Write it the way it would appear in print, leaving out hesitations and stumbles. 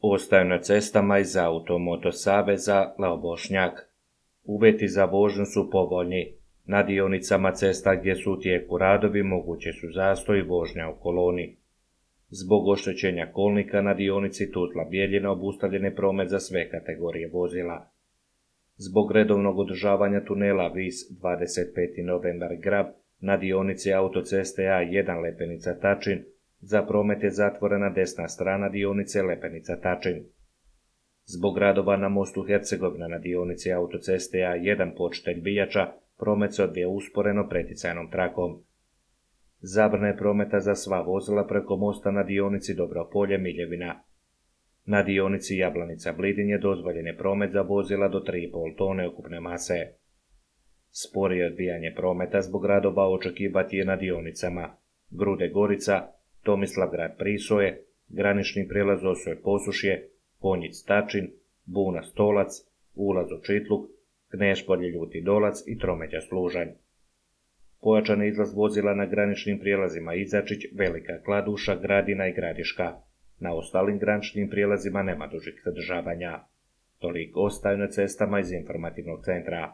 Ostaju na cestama iz Automoto saveza Lao Bošnjak. Uvjeti za vožnju su povoljni. Na dionicama cesta gdje su u tijeku radovi moguće su zastoj i vožnja u koloni. Zbog oštećenja kolnika na dionici Tuzla-Bjeljina obustavljen je promet za sve kategorije vozila. Zbog redovnog održavanja tunela Vis 25. novembar Grab na dionici autoceste A1 Lepenica-Tačin za promet je zatvorena desna strana dionice Lepenica-Tačin. Zbog radova na mostu Hercegovina na dionici autoceste A1 Počitelj-Bijača promet se odvija usporeno preticajnom trakom. Zabrana je prometa za sva vozila preko mosta na dionici Dobropolje-Miljevina. Na dionici Jablanica-Blidin dozvoljen je promet za vozila do 3,5 tone ukupne mase. Sporije odvijanje prometa zbog radova očekivati je na dionicama Grude-Gorica, Tomislavgrad-Prisoje, granični prijelaz Osoje-Posušje, Konjic-Tačin, Buna-Stolac, ulaz u Čitluk, Knešpolje-Ljuti Dolac i Tromeđa-Služanj. Pojačan je izlaz vozila na graničnim prijelazima Izačić, Velika Kladuša, Gradina i Gradiška. Na ostalim graničnim prijelazima nema dužih zadržavanja. Toliko ostaju na cestama iz informativnog centra.